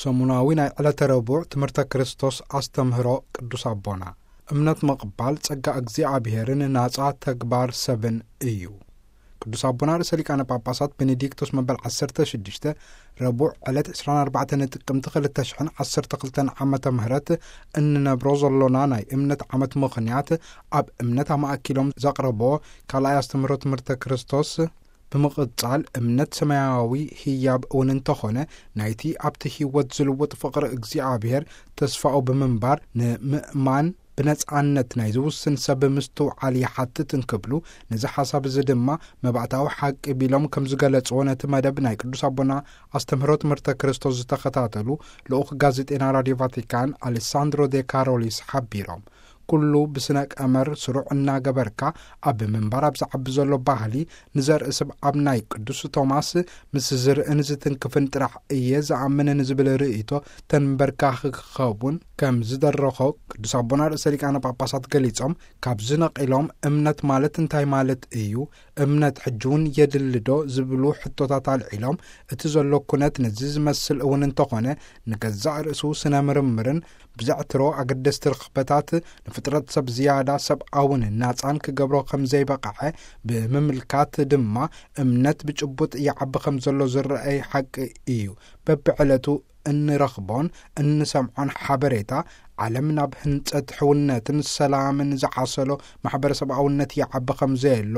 ሰሙናዊ ናይ ዕለተ ረቡዕ ትምህርተ ክርስቶስ ኣስተምህሮ ቅዱስ ኣቦና፣ እምነት ምቕባል ጸጋ እግዚኣብሔርን ናጻ ተግባር ሰብን እዩ። ቅዱስ ኣቦና ርእሰ ሊቃነ ጳጳሳት ቤኔዲክቶስ መበል ዓሰርተ ሽዱሽተ፣ ረቡዕ ዕለት ዕስራን ኣርባዕተን ጥቅምቲ ክልተ ሽሕን ዓሰርተ ክልተን ዓመተ ምህረት እንነብሮ ዘሎና ናይ እምነት ዓመት ምኽንያት፣ ኣብ እምነት ኣማእኪሎም ዘቕረቦ ካልኣይ ኣስተምህሮ ትምህርተ ክርስቶስ፣ ብምቕጻል እምነት ሰማያዊ ህያብ እውን እንተኾነ፣ ናይቲ ኣብቲ ህይወት ዝልውጥ ፍቕሪ እግዚኣብሔር ተስፋኡ ብምንባር፣ ንምእማን ብነጻነት ናይ ዝውስን ሰብ ምስትውዓል ይሓትት እንክብሉ፣ ነዚ ሓሳብ እዚ ድማ መባእታዊ ሓቂ ቢሎም ከም ዝገለጽዎ፣ ነቲ መደብ ናይ ቅዱስ ኣቦና ኣስተምህሮ ትምህርተ ክርስቶስ ዝተኸታተሉ ልኡኽ ጋዜጤና ራድዮ ቫቲካን ኣሌሳንድሮ ዴ ካሮሊስ ሓቢሮም። ኩሉ ብስነ ቀመር ስሩዕ እናገበርካ፣ ኣብ ምንባር ኣብ ዝዓቢ ዘሎ ባህሊ፣ ንዘርኢ ስብ ኣብ ናይ ቅዱስ ቶማስ ምስ ዝርእን ዝትንክፍን ጥራሕ እየ ዝኣምን ንዝብል ርእይቶ ተንበርካኺ ክኸውን ከም ዝደረኾ ቅዱስ ኣቦና ርእሰ ሊቃነ ጳጳሳት ገሊጾም፣ ካብዚ ነቒሎም እምነት ማለት እንታይ ማለት እዩ? እምነት ሕጂ እውን የድሊ ዶ? ዝብሉ ሕቶታት ኣልዒሎም፣ እቲ ዘሎ ኩነት ነዚ ዝመስል እውን እንተኾነ፣ ንገዛእ ርእሱ ስነ ምርምርን ብዘዕትሮ ኣገደስቲ ርኽበታት ንፍጥረት ሰብ ዝያዳ ሰብኣውን ናጻን ክገብሮ ከም ዘይበቕዐ ብምምልካት ድማ፣ እምነት ብጭቡጥ ይዓቢ ከም ዘሎ ዝረኣይ ሓቂ እዩ። በብዕለቱ እንረኽቦን እንሰምዖን ሓበሬታ፣ ዓለም ናብ ህንጸት ሕውነትን ሰላምን ዝዓሰሎ ማሕበረሰብኣውነት ይዓቢ ከም ዘየሎ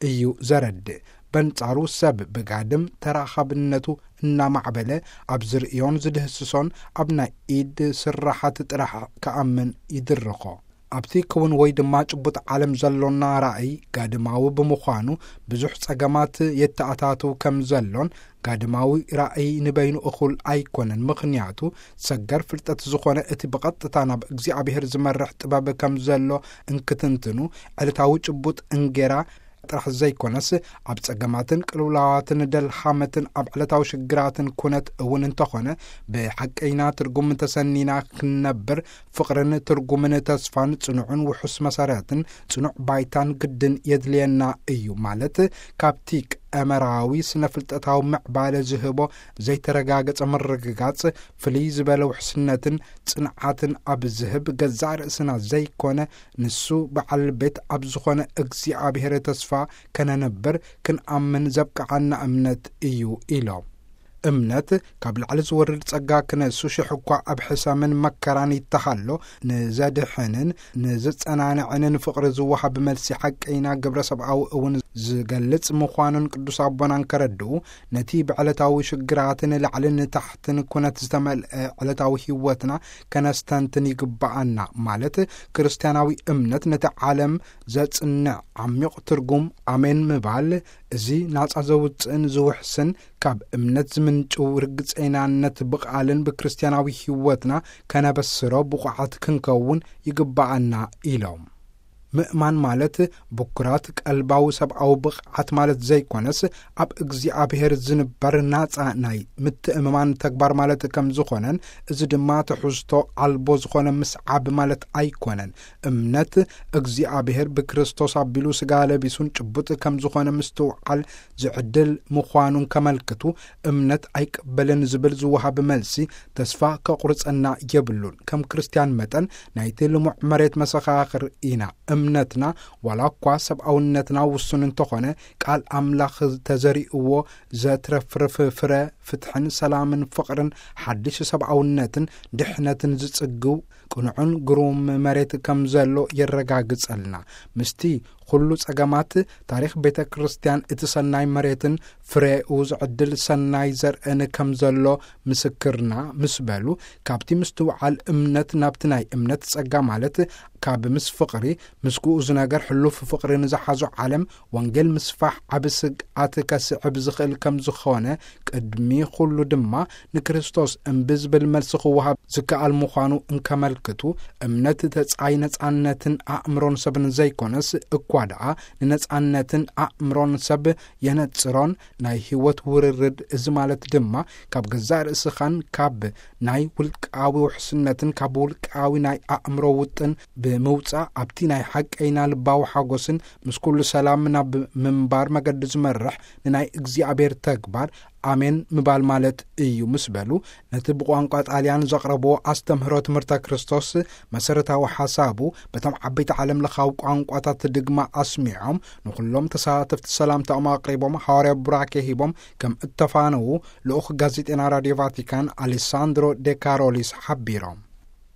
እዩ ዘረድእ። በንጻሩ ሰብ ብጋድም ተራኻብነቱ እናማዕበለ፣ ኣብ ዝርእዮን ዝድህስሶን ኣብ ናይ ኢድ ስራሓት ጥራሕ ክኣምን ይድርኾ። ኣብቲ ክውን ወይ ድማ ጭቡጥ ዓለም ዘሎና ራእይ ጋድማዊ ብምዃኑ፣ ብዙሕ ጸገማት የተኣታትው ከም ዘሎን፣ ጋድማዊ ራእይ ንበይኑ እኹል ኣይኮነን። ምኽንያቱ፣ ሰገር ፍልጠት ዝኾነ እቲ ብቐጥታ ናብ እግዚኣብሔር ዝመርሕ ጥበብ ከም ዘሎ እንክትንትኑ፣ ዕለታዊ ጭቡጥ እንጌራ ጥራሕ ዘይኮነስ፣ ኣብ ጸገማትን ቅልውላዋትን ደልሃመትን ኣብ ዕለታዊ ሽግራትን ኩነት እውን እንተኾነ፣ ብሓቀይና ትርጉም ተሰኒና ክንነብር፣ ፍቕርን ትርጉምን ተስፋን ጽኑዕን ውሑስ መሰረትን ጽኑዕ ባይታን ግድን የድልየና እዩ። ማለት፣ ካብቲ ቀመራዊ ስነ ፍልጠታዊ ምዕባለ ዝህቦ ዘይተረጋገጸ ምርግጋጽ ፍልይ ዝበለ ውሕስነትን ጽንዓትን ኣብ ዝህብ፣ ገዛእ ርእስና ዘይኮነ፣ ንሱ በዓል ቤት ኣብ ዝኾነ እግዚኣብሔር ተስፋ ከነነብር ክንኣምን ዘብቅዓና እምነት እዩ ኢሎም። እምነት ካብ ላዕሊ ዝወርድ ጸጋ ክነሱ ሽሕ እኳ ኣብ ሕሰምን መከራን ይተሃሎ፣ ንዘድሕንን ንዝጸናንዕንን ፍቕሪ ዝወሃብ መልሲ ሓቀይና ግብረ ሰብኣዊ እውን ዝገልጽ ምዃኑን ቅዱስ ኣቦናን ከረድኡ፣ ነቲ ብዕለታዊ ሽግራትን ላዕልን ታሕትን ኩነት ዝተመልአ ዕለታዊ ህይወትና ከነስተንትን ይግብኣና። ማለት፣ ክርስትያናዊ እምነት ነቲ ዓለም ዘጽንዕ ዓሚቕ ትርጉም ኣሜን ምባል፣ እዚ ናጻ ዘውጽእን ዝውሕስን፣ ካብ እምነት ዝምንጭው ርግጸይናነት ብቓልን ብክርስትያናዊ ህይወትና ከነበስሮ ብቑዓት ክንከውን ይግብኣና ኢሎም። ምእማን ማለት ብኩራት ቀልባዊ ሰብኣዊ ብቕዓት ማለት ዘይኮነስ፣ ኣብ እግዚኣብሔር ዝንበር ናጻ ናይ ምትእምማን ተግባር ማለት ከም ዝኾነን፣ እዚ ድማ ትሕዝቶ ኣልቦ ዝኾነ ምስዓብ ማለት ኣይኮነን። እምነት እግዚኣብሔር ብክርስቶስ ኣቢሉ ስጋ ለቢሱን ጭቡጥ ከም ዝኾነ ምስትውዓል ዝዕድል ምዃኑን ከመልክቱ፣ እምነት ኣይቅበልን ዝብል ዝወሃብ መልሲ ተስፋ ከቑርጸና የብሉን። ከም ክርስትያን መጠን ናይቲ ልሙዕ መሬት መሰኻኽር ኢና። እምነትና ዋላ እኳ ሰብኣውነትና ውሱን እንተኾነ፣ ቃል ኣምላኽ ተዘሪእዎ ዘትረፍርፍ ፍረ ፍትሕን ሰላምን ፍቕርን ሓድሽ ሰብኣውነትን ድሕነትን ዝጽግው ቅኑዕን ግሩም መሬት ከም ዘሎ የረጋግጸልና። ምስቲ ኩሉ ጸገማት ታሪኽ ቤተ ክርስቲያን እቲ ሰናይ መሬትን ፍሬኡ ዝዕድል ሰናይ ዘርእን ከም ዘሎ ምስክርና ምስ በሉ፣ ካብቲ ምስትውዓል እምነት ናብቲ ናይ እምነት ጸጋ ማለት ካብ ምስ ፍቕሪ፣ ምስ ግኡዝ ነገር ሕሉፍ ፍቕሪ ንዝሓዞ ዓለም ወንጌል ምስፋሕ ዓቢ ስግኣት ከስዕብ ዝኽእል ከም ዝኾነ፣ ቅድሚ ኩሉ ድማ ንክርስቶስ እምቢ ዝብል መልሲ ክወሃብ ዝከኣል ምዃኑ እንከመልክቱ፣ እምነት ተጻይ ነጻነትን ኣእምሮን ሰብን ዘይኮነስ፣ እኳ ደኣ ንነጻነትን ኣእምሮን ሰብ የነጽሮን ናይ ህይወት ውርርድ፣ እዚ ማለት ድማ ካብ ገዛእ ርእስኻን ካብ ናይ ውልቃዊ ውሕስነትን ካብ ውልቃዊ ናይ ኣእምሮ ውጥን ብምውጻእ፣ ኣብቲ ናይ ሓቀይና ልባዊ ሓጎስን ምስ ኩሉ ሰላም ናብ ምንባር መገዲ ዝመርሕ ንናይ እግዚኣብሔር ተግባር ኣሜን ምባል ማለት እዩ ምስ በሉ፣ ነቲ ብቋንቋ ጣልያን ዘቕረብዎ ኣስተምህሮ ትምህርተ ክርስቶስ መሰረታዊ ሓሳቡ በቶም ዓበይቲ ዓለም ለኻዊ ቋንቋታት ድግማ ኣስሚዖም፣ ንኹሎም ተሳተፍቲ ሰላምታኦም ኣቕሪቦም፣ ሓዋርያዊ ቡራኬ ሂቦም ከም እተፋነዉ ልኡኽ ጋዜጤና ራድዮ ቫቲካን ኣሌሳንድሮ ዴካሮሊስ ሓቢሮም።